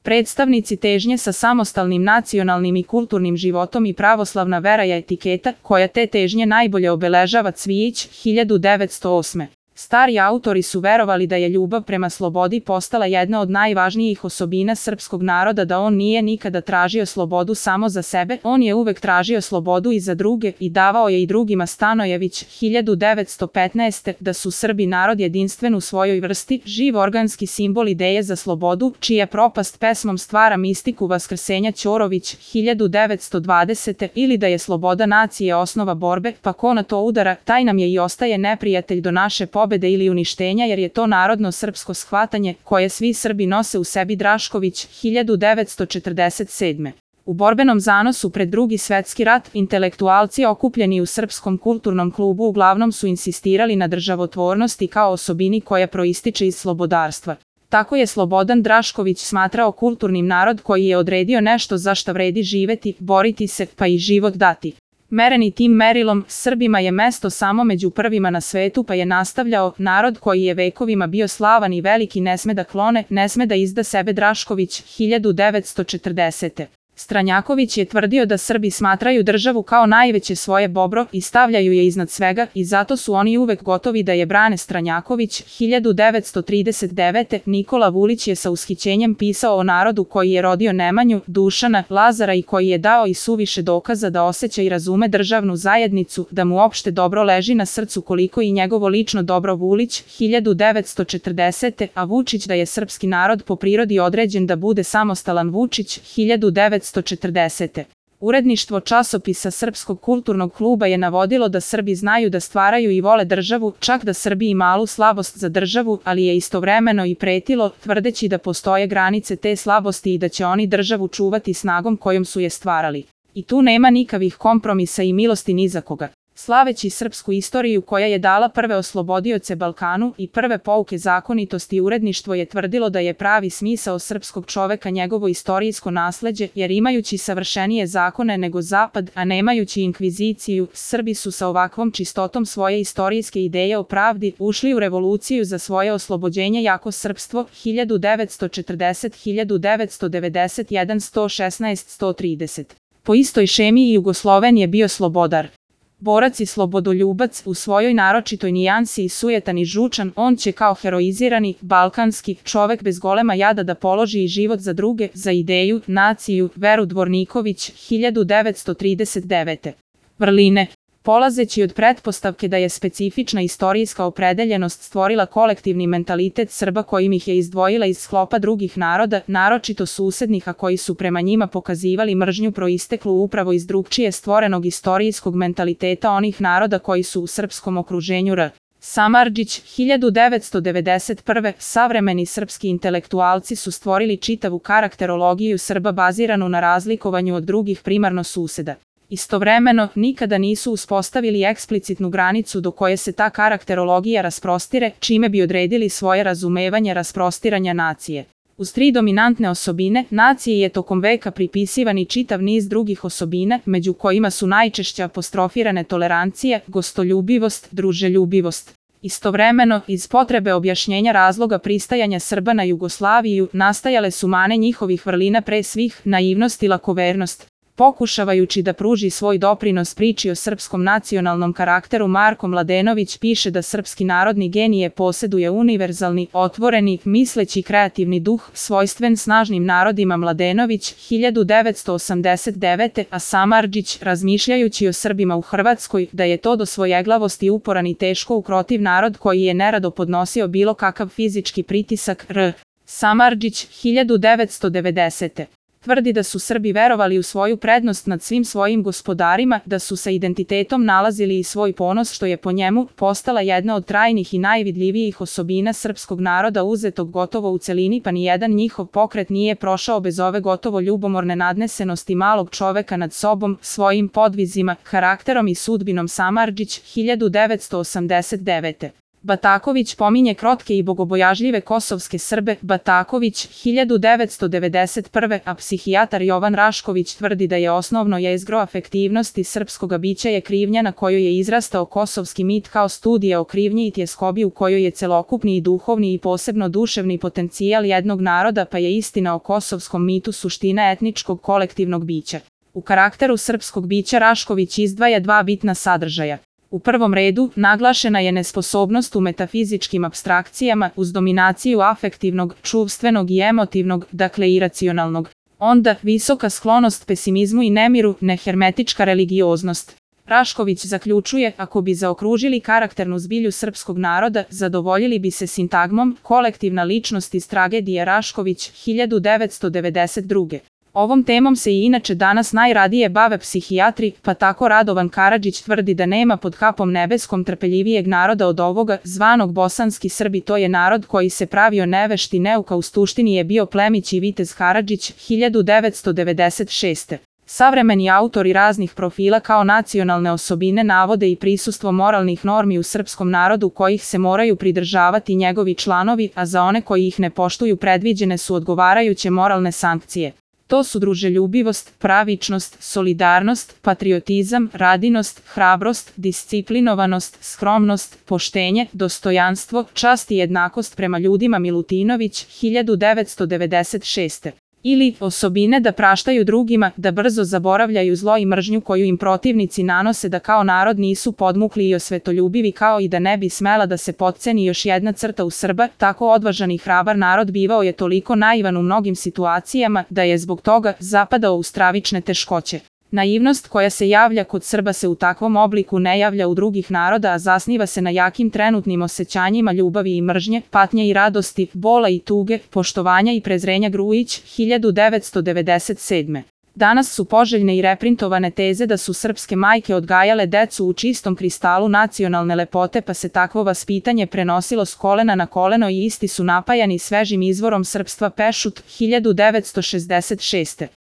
Predstavnici težnje sa samostalnim nacionalnim i kulturnim životom i pravoslavna vera je etiketa koja te težnje najbolje obeležava. Cvijić, 1908. Stari autori su verovali da je ljubav prema slobodi postala jedna od najvažnijih osobina srpskog naroda, da on nije nikada tražio slobodu samo za sebe, on je uvek tražio slobodu i za druge i davao je i drugima. Stanojević, 1915. Da su Srbi narod jedinstven u svojoj vrsti, živ organski simbol ideje za slobodu, čija propast pesmom stvara mistiku vaskrsenja. Ćorović, 1920. Ili da je sloboda nacije osnova borbe, pa ko na to udara, taj nam je i ostaje neprijatelj do naše pobede ili uništenja, jer je to narodno srpsko shvatanje koje svi Srbi nose u sebi. Drašković, 1947. U borbenom zanosu pred Drugi svetski rat, intelektualci okupljeni u Srpskom kulturnom klubu uglavnom su insistirali na državotvornosti kao osobini koja proističe iz slobodarstva. Tako je Slobodan Drašković smatrao kulturnim narod koji je odredio nešto za šta vredi živeti, boriti se, pa i život dati. Mereni tim merilom, Srbima je mesto samo među prvima na svetu, pa je nastavljao, narod koji je vekovima bio slavan i veliki ne sme da klone, ne sme da izda sebe. Drašković, 1940. Stranjaković je tvrdio da Srbi smatraju državu kao najveće svoje dobro i stavljaju je iznad svega i zato su oni uvek gotovi da je brane. Stranjaković, 1939. Nikola Vulić je sa ushićenjem pisao o narodu koji je rodio Nemanju, Dušana, Lazara i koji je dao i suviše dokaza da osjeća i razume državnu zajednicu, da mu opšte dobro leži na srcu koliko i njegovo lično dobro. Vulić, 1940. A Vučić da je srpski narod po prirodi određen da bude samostalan. Vučić, 1940. Uredništvo časopisa Srpskog kulturnog kluba je navodilo da Srbi znaju da stvaraju i vole državu, čak da Srbi i malu slabost za državu, ali je istovremeno i pretilo, tvrdeći da postoje granice te slabosti i da će oni državu čuvati snagom kojom su je stvarali. I tu nema nikavih kompromisa i milosti ni za koga. Slaveći srpsku istoriju koja je dala prve oslobodioce Balkanu i prve pouke zakonitosti, uredništvo je tvrdilo da je pravi smisao srpskog čoveka njegovo istorijsko nasleđe, jer imajući savršenije zakone nego Zapad, a nemajući inkviziciju, Srbi su sa ovakvom čistotom svoje istorijske ideje o pravdi ušli u revoluciju za svoje oslobođenje. Jako srpstvo, 1940, 1991, 116, 130. Po istoj šemi i Jugosloven je bio slobodar. Borac i slobodoljubac, u svojoj naročitoj nijansi i sujetan i žučan, on će kao heroizirani, balkanski čovek bez golema jada da položi i život za druge, za ideju, naciju, veru. Dvorniković, 1939. Vrline. Polazeći od pretpostavke da je specifična istorijska opredeljenost stvorila kolektivni mentalitet Srba kojim ih je izdvojila iz sklopa drugih naroda, naročito susednih, a koji su prema njima pokazivali mržnju proisteklu upravo iz drugčije stvorenog istorijskog mentaliteta onih naroda koji su u srpskom okruženju. Samardžić, 1991. Savremeni srpski intelektualci su stvorili čitavu karakterologiju Srba baziranu na razlikovanju od drugih primarno suseda. Istovremeno, nikada nisu uspostavili eksplicitnu granicu do koje se ta karakterologija rasprostire, čime bi odredili svoje razumevanje rasprostiranja nacije. Uz tri dominantne osobine, naciji je tokom veka pripisivan i čitav niz drugih osobina, među kojima su najčešće apostrofirane tolerancija, gostoljubivost, druželjubivost. Istovremeno, iz potrebe objašnjenja razloga pristajanja Srba na Jugoslaviju, nastajale su mane njihovih vrlina, pre svih naivnost i lakovernost. Pokušavajući da pruži svoj doprinos priči o srpskom nacionalnom karakteru, Marko Mladenović piše da srpski narodni genije poseduje univerzalni, otvoreni, misleći kreativni duh, svojstven snažnim narodima. Mladenović, 1989. A Samardžić, razmišljajući o Srbima u Hrvatskoj, da je to do svojeglavosti uporan i teško ukrotiv narod koji je nerado podnosio bilo kakav fizički pritisak. Samardžić, 1990. Tvrdi da su Srbi verovali u svoju prednost nad svim svojim gospodarima, da su sa identitetom nalazili i svoj ponos, što je po njemu postala jedna od trajnih i najvidljivijih osobina srpskog naroda, uzetog gotovo u celini, pa nijedan njihov pokret nije prošao bez ove gotovo ljubomorne nadnesenosti malog čoveka nad sobom, svojim podvizima, karakterom i sudbinom. Samardžić, 1989. Bataković pominje krotke i bogobojažljive kosovske Srbe. Bataković, 1991. A psihijatar Jovan Rašković tvrdi da je osnovno jezgro afektivnosti srpskoga bića je krivnja na kojoj je izrastao kosovski mit kao studija o krivnji i tjeskobi u kojoj je celokupni i duhovni i posebno duševni potencijal jednog naroda, pa je istina o kosovskom mitu suština etničkog kolektivnog bića. U karakteru srpskog bića Rašković izdvaja dva bitna sadržaja. U prvom redu, naglašena je nesposobnost u metafizičkim apstrakcijama uz dominaciju afektivnog, čuvstvenog i emotivnog, dakle iracionalnog. Onda, visoka sklonost pesimizmu i nemiru, nehermetička religioznost. Rašković zaključuje, ako bi zaokružili karakternu zbilju srpskog naroda, zadovoljili bi se sintagmom kolektivna ličnost iz tragedije Rašković, 1992. Ovom temom se i inače danas najradije bave psihijatri, pa tako Radovan Karadžić tvrdi da nema pod kapom nebeskom trpeljivijeg naroda od ovoga, zvanog bosanski Srbi. To je narod koji se pravio nevešt i neuka, u suštini je bio plemić i vitez Karadžić, 1996. Savremeni autori raznih profila kao nacionalne osobine navode i prisustvo moralnih normi u srpskom narodu kojih se moraju pridržavati njegovi članovi, a za one koji ih ne poštuju predviđene su odgovarajuće moralne sankcije. To su druželjubivost, pravičnost, solidarnost, patriotizam, radinost, hrabrost, disciplinovanost, skromnost, poštenje, dostojanstvo, čast i jednakost prema ljudima. Milutinović, 1996. Ili osobine da praštaju drugima, da brzo zaboravljaju zlo i mržnju koju im protivnici nanose, da kao narod nisu podmukli i osvetoljubivi, kao i da ne bi smela da se potceni još jedna crta u Srba. Tako odvažan i hrabar narod bivao je toliko naivan u mnogim situacijama da je zbog toga zapadao u stravične teškoće. Naivnost koja se javlja kod Srba se u takvom obliku ne javlja u drugih naroda, a zasniva se na jakim trenutnim osjećanjima ljubavi i mržnje, patnje i radosti, bola i tuge, poštovanja i prezrenja. Grujić, 1997. Danas su poželjne i reprintovane teze da su srpske majke odgajale decu u čistom kristalu nacionalne lepote, pa se takvo vaspitanje prenosilo s kolena na koleno i isti su napajani svežim izvorom srpstva. Pešut, 1966.